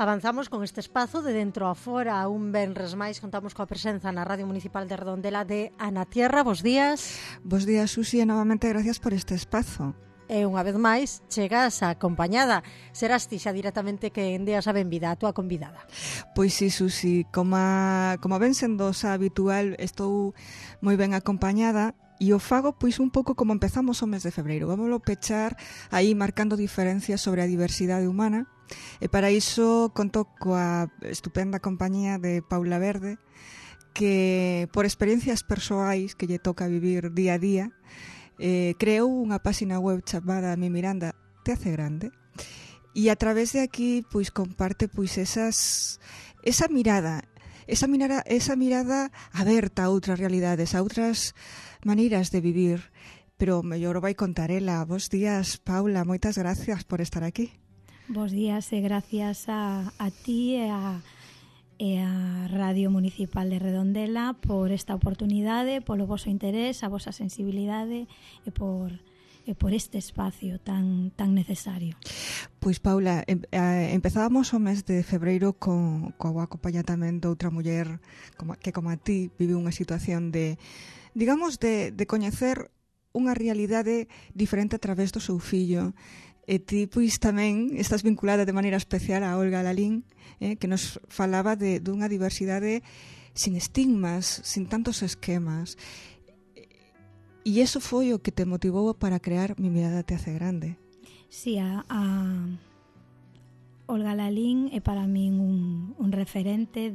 Avanzamos con este espazo de dentro a fora. Un venres máis contamos coa presenza na Radio Municipal de Redondela de Ana Tierra. Bos días. Bos días, Susi, e novamente gracias por este espazo. E unha vez máis chegas acompañada. Serás ti xa directamente que endeas a benvida a túa convidada. Pois sí, Susi, como ven sendo xa habitual, estou moi ben acompañada. E o fago pois un pouco como empezamos o mes de febreiro. Vámoslo pechar aí marcando diferencias sobre a diversidade humana. E para iso conto coa estupenda compañía de Paula Verde, que por experiencias persoais que lle toca vivir día a día, creou unha páxina web chamada Mi Miranda te hace grande. E a través de aquí pois comparte pois esa mirada aberta a outras realidades, a outras maneiras de vivir, pero mellor vai contar ela. Bos días, Paula, moitas gracias por estar aquí. Bos días e gracias a ti e a Radio Municipal de Redondela por esta oportunidade, polo voso interés, a vosa sensibilidade e por este espacio tan necesario. Pois, Paula, empezábamos o mes de febreiro co acompañamento de outra muller que como a ti vive unha situación de coñecer unha realidade diferente a través do seu fillo. E ti, pois, tamén estás vinculada de maneira especial a Olga Lalín, que nos falaba dunha diversidade sin estigmas, sin tantos esquemas. E iso foi o que te motivou para crear Mi Mirada te hace grande. Sí, a Olga Lalín é para min un referente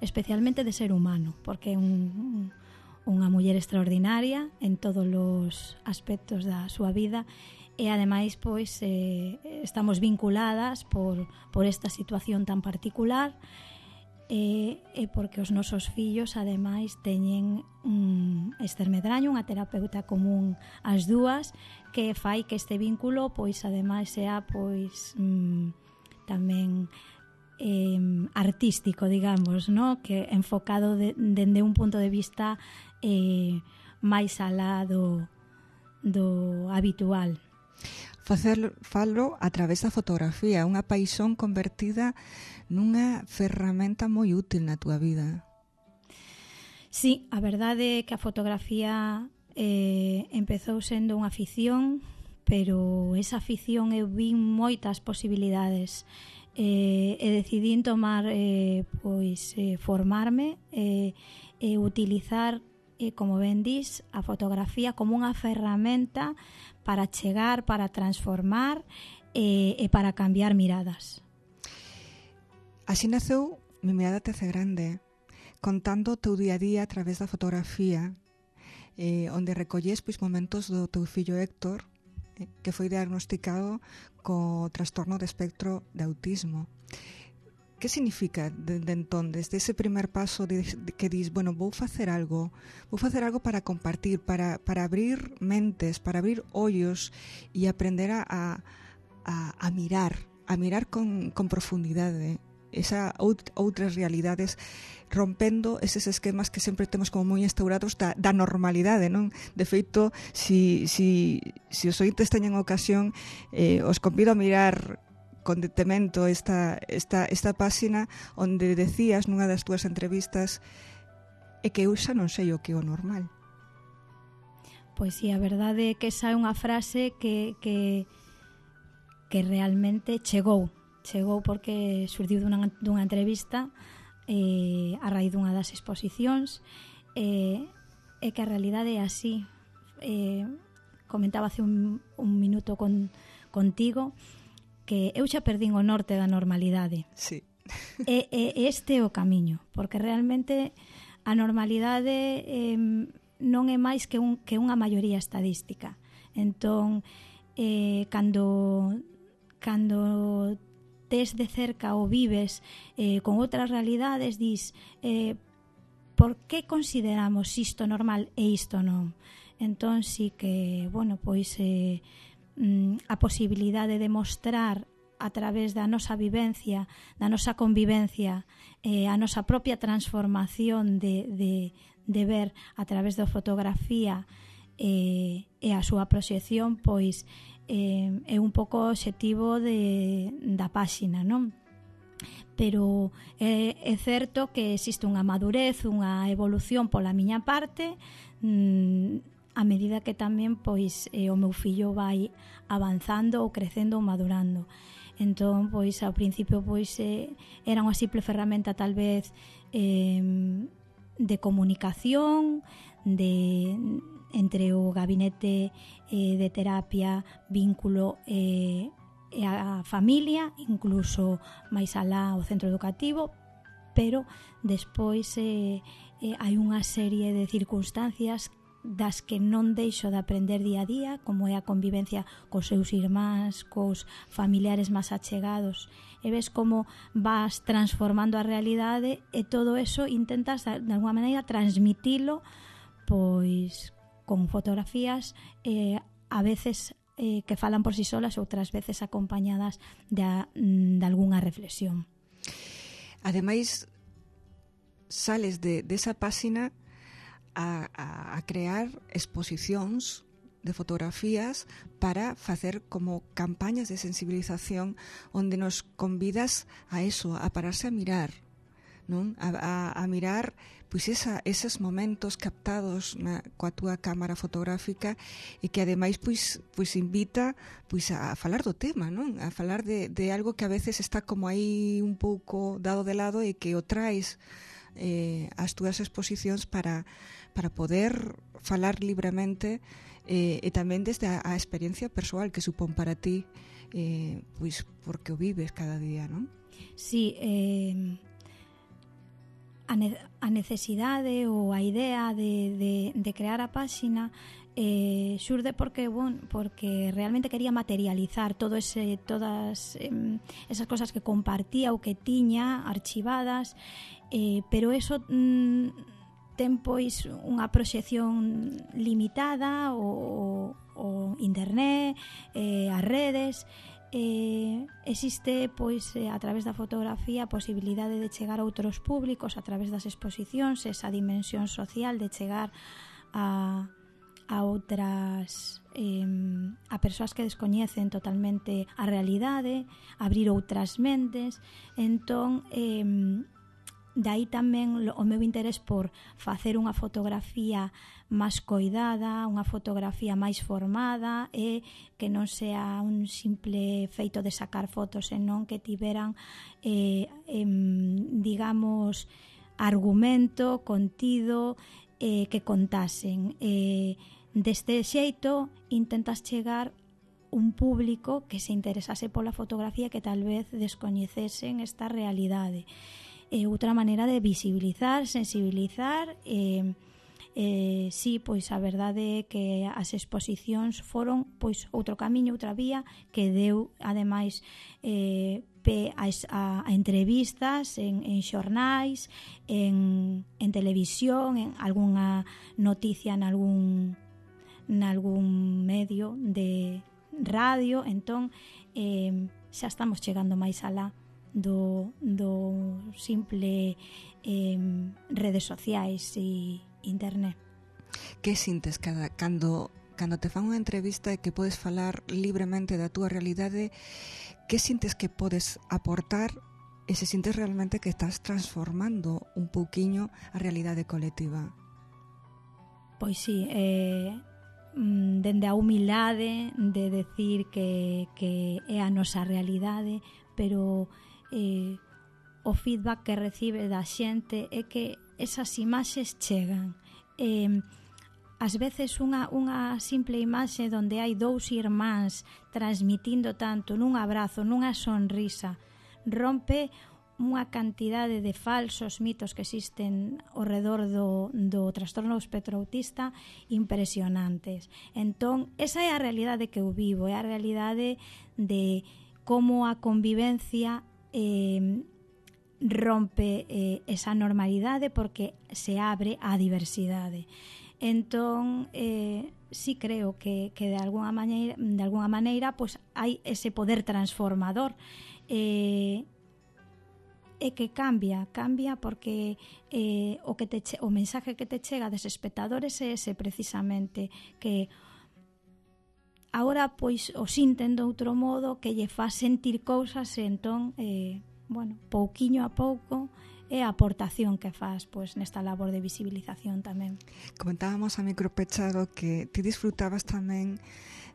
especialmente de ser humano, porque é unha muller extraordinaria en todos os aspectos da súa vida. E ademais pois estamos vinculadas por esta situación tan particular e porque os nosos fillos ademais teñen Ester Medraño, unha terapeuta común as dúas, que fai que este vínculo pois ademais sea pois tamén artístico, digamos, ¿no? Que enfocado dende un punto de vista máis alá do habitual. Falo a través da fotografía, unha paixón convertida nunha ferramenta moi útil na túa vida. Sí, a verdade é que a fotografía empezou sendo unha afición, pero esa afición eu vi moitas posibilidades e decidín tomar formarme e utilizar, como ben dis, a fotografía como unha ferramenta para chegar, para transformar e para cambiar miradas. Así naceu Mi Mirada te hace grande, contando o teu día a día a través da fotografía, onde recollés pois momentos do teu fillo Héctor, que foi diagnosticado co trastorno de espectro de autismo. Que significa entón, desde ese primer paso que dis, bueno, vou facer algo para compartir, para abrir mentes, para abrir ollos e aprender a mirar con profundidade outras realidades, rompendo eses esquemas que sempre temos como moi instaurados da normalidade, non? De feito, si os ointes teñen ocasión, os convido a mirar con detemento esta páxina onde decías nunha das túas entrevistas que eu xa non sei o que é o normal. Pois sí, a verdade é que esa é unha frase que realmente chegou porque surdiu dunha entrevista a raíz dunha das exposicións e que a realidade é así. Comentaba hace un minuto contigo que eu xa perdín o norte da normalidade. Sí. E este é o camiño, porque realmente a normalidade non é máis que unha maioría estadística. Entón, cando tes de cerca ou vives con outras realidades, dis por que consideramos isto normal e isto non? Entón, sí que, bueno, pois a posibilidade de mostrar a través da nosa vivencia, da nosa convivencia, a nosa propia transformación de ver a través da fotografía e a súa proxección, pois é un pouco o obxectivo da páxina, non? pero é certo que existe unha madurez, unha evolución pola miña parte, a medida que tamén pois o meu fillo vai avanzando ou crecendo ou madurando. Entón, pois ao principio pois era unha simple ferramenta tal vez de comunicación, entre o gabinete de terapia, vínculo e a familia, incluso máis alá o centro educativo, pero despois hai unha serie de circunstancias das que non deixo de aprender día a día, como é a convivencia cos seus irmáns, cos familiares máis achegados, e ves como vas transformando a realidade, e todo eso intentas de alguma maneira transmitilo pois con fotografías a veces que falan por si solas, outras veces acompañadas de algunha reflexión. Ademais, sales desa páxina a crear exposicións de fotografías para facer como campañas de sensibilización onde nos convidas a eso, a pararse a mirar, non? A mirar pois eses momentos captados coa túa cámara fotográfica, e que ademais pois invita pois a falar do tema, non? A falar de algo que a veces está como aí un pouco dado de lado, e que o traes as túas exposicións para poder falar libremente, e tamén desde a experiencia persoal que supón para ti, pois porque o vives cada día, non? Sí, a necesidade ou a idea de crear a páxina xurde porque realmente quería materializar todas esas cosas que compartía ou que tiña archivadas, pero eso ten pois unha proxección limitada, o internet, as redes. Existe pois a través da fotografía a posibilidade de chegar a outros públicos a través das exposicións, esa dimensión social de chegar a outras a persoas que descoñecen totalmente a realidade, abrir outras mentes. Entón dai tamén o meu interés por facer unha fotografía máis coidada, unha fotografía máis formada, e que non sea un simple feito de sacar fotos, senón que tiveran digamos argumento, contido, que contasen. Deste xeito intentas chegar un público que se interesase pola fotografía, que tal vez descoñecesen esta realidade. Outra maneira de visibilizar, sensibilizar. Sí, pois a verdade é que as exposicións foron pois outro camiño, outra vía que deu ademais pé a entrevistas en xornais, en televisión, en algunha noticia nalgún medio de radio. Entón xa estamos chegando máis alá do simple redes sociais e internet. Que sintes cando te fan unha entrevista e que podes falar libremente da túa realidade? Que sintes que podes aportar, e se sintes realmente que estás transformando un pouquiño a realidade colectiva? Pois sí, dende a humildade de decir que é a nosa realidade, pero o feedback que recibe da xente é que esas imaxes chegan. Ás veces unha simple imaxe onde hai dous irmáns transmitindo tanto nun abrazo, nunha sonrisa, rompe unha cantidade de falsos mitos que existen ao redor do trastorno do espectro autista impresionantes. Entón, esa é a realidade que eu vivo, é a realidade de como a convivencia rompe esa normalidade porque se abre á diversidade. Entón, sí creo que de alguna maneira pues, hai ese poder transformador, e que cambia porque o mensaje que te chega des espectadores é ese precisamente, que agora pois o sinten de outro modo, que lle fa sentir cousas, e entón bueno, pouquiño a pouco é a aportación que faz pois nesta labor de visibilización tamén. Comentábamos a micro pechado que ti disfrutabas tamén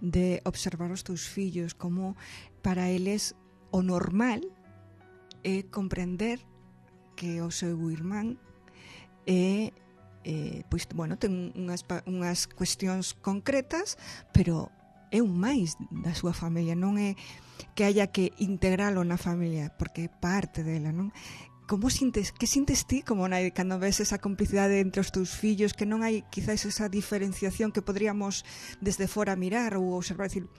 de observar os teus fillos, como para eles o normal é comprender que o seu irmán é pois, bueno, ten unhas cuestións concretas, pero é un máis da súa familia, non é que haya que integralo na familia, porque é parte dela, non? Como sintes, que sintes ti como cando ves esa complicidade entre os teus fillos, que non hai quizás esa diferenciación que podríamos desde fora mirar ou observar, decir,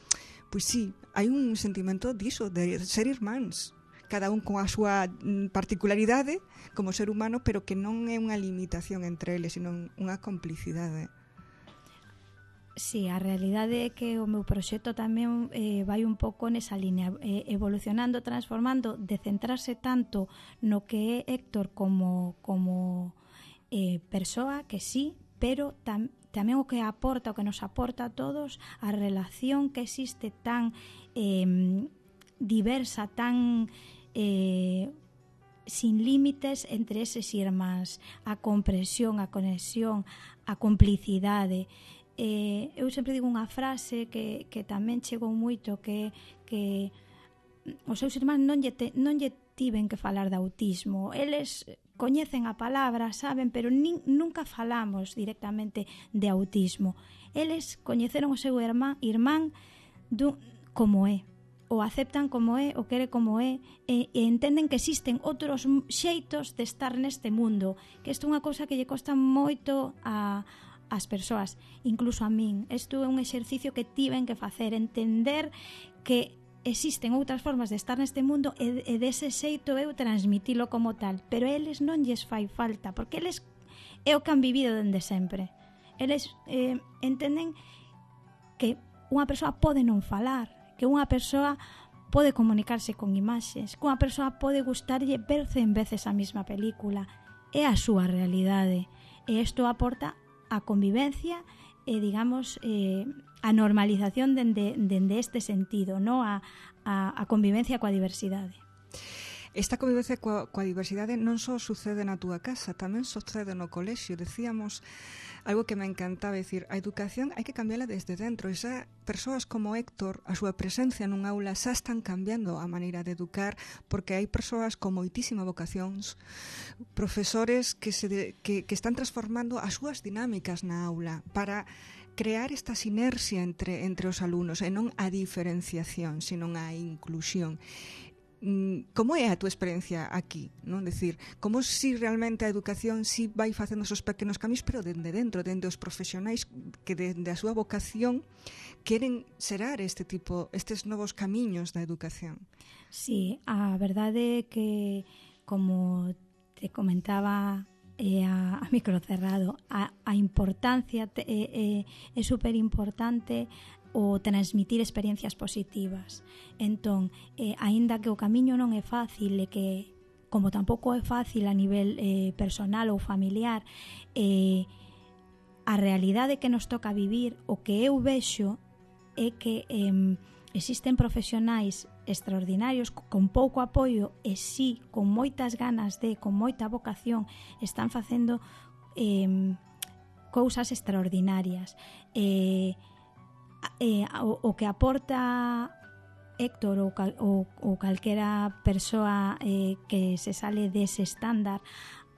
pois sí, hai un sentimento diso, de ser irmáns, cada un con a súa particularidade como ser humano, pero que non é unha limitación entre eles, sino unha complicidade. Sí, a realidade é que o meu proxecto tamén vai un pouco nesa línea, evolucionando, transformando, de centrarse tanto no que é Héctor como persoa, que sí, pero tamén o que aporta, o que nos aporta a todos, a relación que existe tan diversa, tan sin límites entre eses irmáns, a comprensión, a conexión, a complicidade. Eu sempre digo unha frase que tamén chegou moito, que os seus irmáns non lle tiven que falar de autismo. Eles coñecen a palabra, saben, pero nunca falamos directamente de autismo. Eles coñeceron o seu irmán como é, o aceptan como é, o quere como é, e entenden que existen outros xeitos de estar neste mundo, que isto é unha cousa que lle costa moito as persoas, incluso a min. Isto é un exercicio que tiven que facer, entender que existen outras formas de estar neste mundo e dese xeito eu transmitilo como tal, pero eles non lles fai falta, porque eles é o que han vivido dende sempre. Eles entenden que unha persoa pode non falar, que unha persoa pode comunicarse con imaxes, que unha persoa pode gustarlle ver 100 veces a mesma película. É a súa realidade, e isto aporta a convivencia e, digamos, a normalización dende este sentido, no? a convivencia coa diversidade. Esta convivencia coa diversidade non só sucede na túa casa, tamén sucede no colexio. Decíamos algo que me encantaba, decir, a educación hai que cambiala desde dentro. E xa persoas como Héctor, a súa presencia nun aula xa están cambiando a maneira de educar, porque hai persoas con moitísima vocacións, profesores que están transformando as súas dinámicas na aula para crear esta sinerxia entre os alumnos, e non a diferenciación, sino a inclusión. Como é a túa experiencia aquí, non? Decir, como si realmente a educación si vai facendo esos pequenos camiños, pero dende dentro, dende os profesionais que dende a súa vocación queren xerar estes novos camiños da educación. Sí, a verdade é que, como te comentaba a micro cerrado, a importancia é super importante o transmitir experiencias positivas. Entón, aínda que o camiño non é fácil, e que, como tampouco é fácil a nivel personal ou familiar, a realidade que nos toca vivir, o que eu vexo é que existen profesionais extraordinarios con pouco apoio e sí, con moitas ganas con moita vocación, están facendo cousas extraordinarias. O que aporta Héctor ou calquera persoa que se sale dese estándar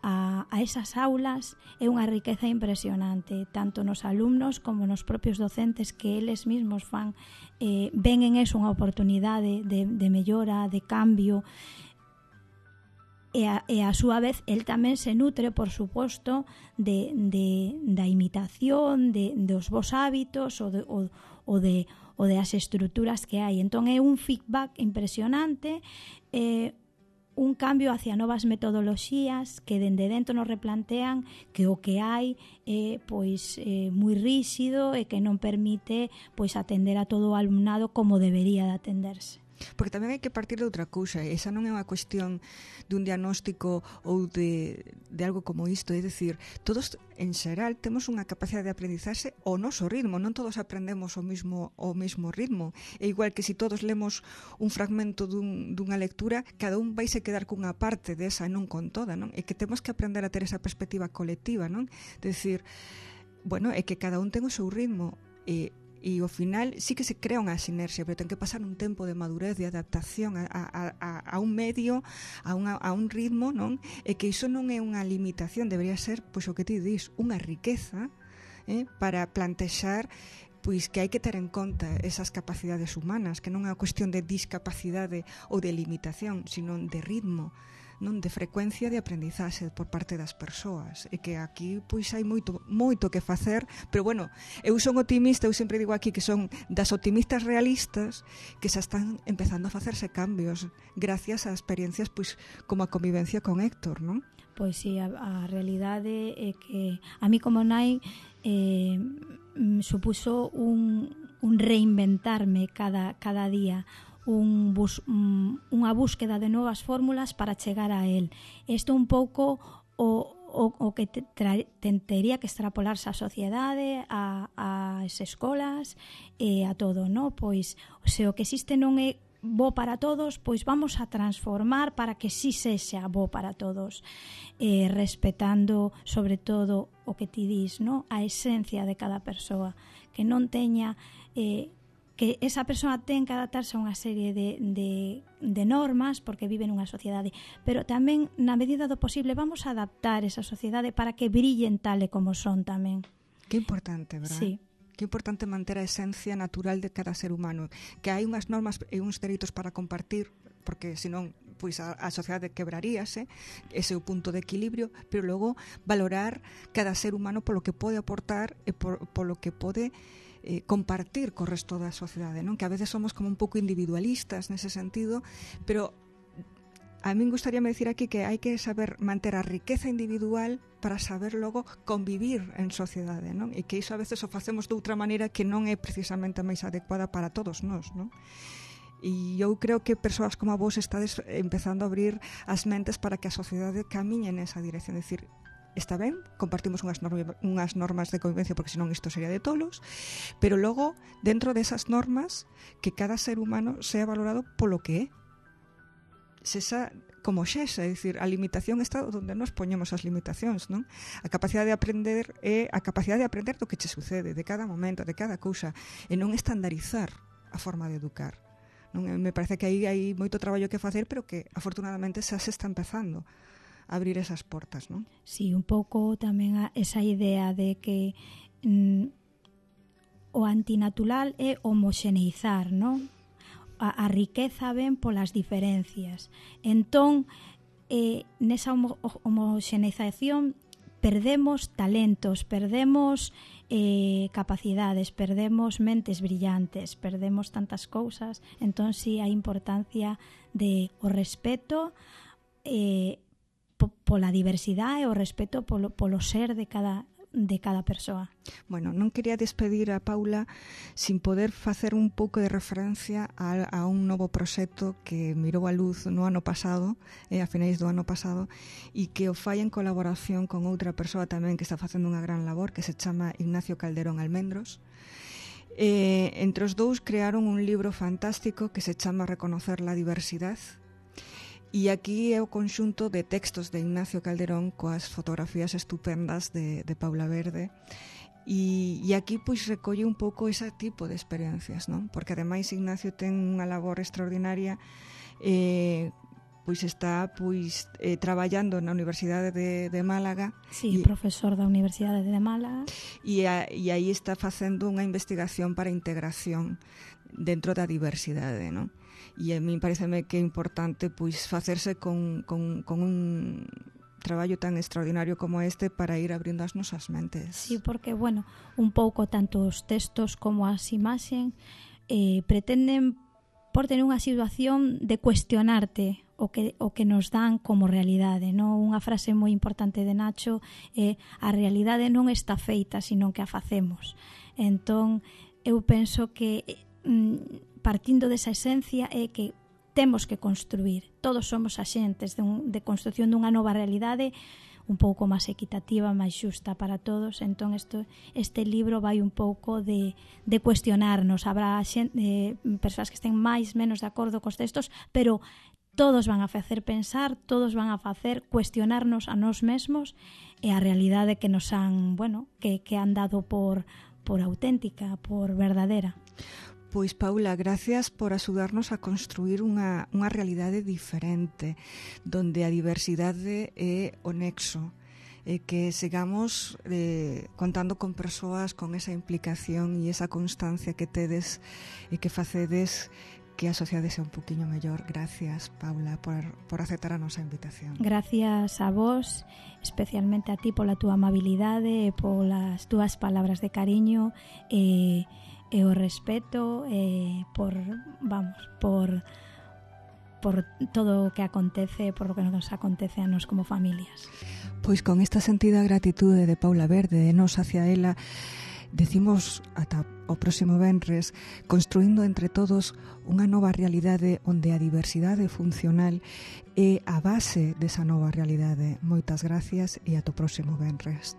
a esas aulas é unha riqueza impresionante, tanto nos alumnos como nos propios docentes, que eles mesmos ven en eso unha oportunidade de mellora, de cambio, e a súa vez el tamén se nutre, por suposto, da imitación, dos bons hábitos ou das estruturas que hai. Entón é un feedback impresionante, un cambio hacia novas metodoloxías que dende dentro nos replantean que o que hai é moi rígido e que non permite atender a todo o alumnado como debería de atenderse. Porque tamén hai que partir de outra cousa, esa non é unha cuestión dun diagnóstico ou de algo como isto, é dicir, todos en xeral temos unha capacidade de aprendizaxe ao noso ritmo, non todos aprendemos o mismo ritmo, é igual que se todos lemos un fragmento dunha lectura, cada un vai se quedar cunha parte desa e non con toda, non? É que temos que aprender a ter esa perspectiva colectiva, non? Decir, bueno, é que cada un ten o seu ritmo e ao final sí que se crea unha sinerxia, pero ten que pasar un tempo de madurez, de adaptación a un medio, a un ritmo, non? E que iso non é unha limitación, debería ser, pois o que ti dis, unha riqueza para plantexar pois que hai que ter en conta esas capacidades humanas, que non é unha cuestión de discapacidade ou de limitación, sino de ritmo, non, de frecuencia de aprendizaxe por parte das persoas, e que aquí pois hai moito que facer, pero bueno, eu son optimista, eu sempre digo aquí que son das optimistas realistas que xa están empezando a facerse cambios gracias a experiencias pois como a convivencia con Héctor, non? Pois sí, a realidade é que a mí como nai supuso un reinventarme cada día, unha búsqueda de novas fórmulas para chegar a él. Isto un pouco o que tería que extrapolarse á sociedade, ás escolas e a todo, no? Pois se o que existe non é bo para todos, pois vamos a transformar para que sí sexa bo para todos, respetando sobre todo o que ti dis, no? A esencia de cada persoa, que non teña que esa persoa ten que adaptarse a unha serie de normas porque vive nunha sociedade, pero tamén na medida do posible vamos a adaptar esa sociedade para que brillen tal e como son tamén. Que importante, verdad? Sí. Que importante manter a esencia natural de cada ser humano, que hai unhas normas e uns dereitos para compartir, porque senón pois a sociedade quebraríase, ese é o punto de equilibrio, pero logo valorar cada ser humano polo que pode aportar e polo que pode compartir co resto da sociedade, non? Que a veces somos como un pouco individualistas nese sentido, pero a min gustaríame dicir aquí que hai que saber manter a riqueza individual para saber logo convivir en sociedade, non? E que iso a veces o facemos de outra maneira que non é precisamente a máis adecuada para todos nós, non? E eu creo que persoas como a vos estades empezando a abrir as mentes para que a sociedade camiñe nesa dirección, é dicir, está ben, compartimos unhas normas de convivencia porque senón isto sería de tolos, pero logo, dentro desas normas, que cada ser humano sea valorado polo que é. Sexa como xesa, é dicir, a limitación está onde nos poñemos as limitacións, non? A capacidade de aprender é a capacidade de aprender do que che sucede, de cada momento, de cada cousa, e non estandarizar a forma de educar. Non? Me parece que aí hai moito traballo que facer, pero que afortunadamente xa se está empezando abrir esas portas, non? Sí, un pouco tamén esa idea de que o antinatural é homoxeneizar, non? A riqueza ven polas diferencias. Entón, nesa homoxeneización perdemos talentos, perdemos capacidades, perdemos mentes brillantes, perdemos tantas cousas. Entón, sí, a importancia de o respeto pola diversidade e o respeto polo ser de cada persoa. Bueno, non quería despedir a Paula sin poder facer un pouco de referencia a un novo proxecto que mirou a luz no ano pasado, a finais do ano pasado, e que o fai en colaboración con outra persoa tamén que está facendo unha gran labor, que se chama Ignacio Calderón Almendros. Entre os dous crearon un libro fantástico que se chama Reconocer la diversidad. E aquí é o conxunto de textos de Ignacio Calderón coas fotografías estupendas de Paula Verde, e aquí pois recolle un pouco ese tipo de experiencias, non? Porque ademais Ignacio ten unha labor extraordinaria, pois está traballando na Universidade de Málaga. Sí, profesor da Universidade de Málaga. E aí está facendo unha investigación para integración dentro da diversidade, non? E a mí pareceme que é importante pois facerse con un traballo tan extraordinario como este para ir abrindo as nosas mentes. Sí, porque, bueno, un pouco tanto os textos como as imaxen pretenden por tener unha situación de cuestionarte o que nos dan como realidade, non? Unha frase moi importante de Nacho é a realidade non está feita, sino que a facemos. Entón, eu penso que partindo desa esencia é que temos que construir, todos somos axentes de construción dunha nova realidade un pouco máis equitativa, máis xusta para todos. Entón este libro vai un pouco de cuestionarnos. Habrá persoas que estén máis menos de acordo cos textos, pero todos van a facer pensar, todos van a facer cuestionarnos a nós mesmos e a realidade que nos han, que han dado por auténtica, por verdadeira. Pois, Paula, gracias por axudarnos a construir unha realidade diferente, donde a diversidade é o nexo, e que sigamos contando con persoas con esa implicación e esa constancia que tedes e que facedes que a sociedade sea un poquinho mellor. Gracias, Paula, por aceptar a nosa invitación. Gracias a vos, especialmente a ti pola túa amabilidade e polas túas palabras de cariño e o respeto por todo o que acontece, por lo que nos acontece a nos como familias. Pois con esta sentida gratitude de Paula Verde e nos hacia ela, decimos ata o próximo venres, construindo entre todos unha nova realidade onde a diversidade funcional é a base desa nova realidade. Moitas gracias e ata o próximo venres.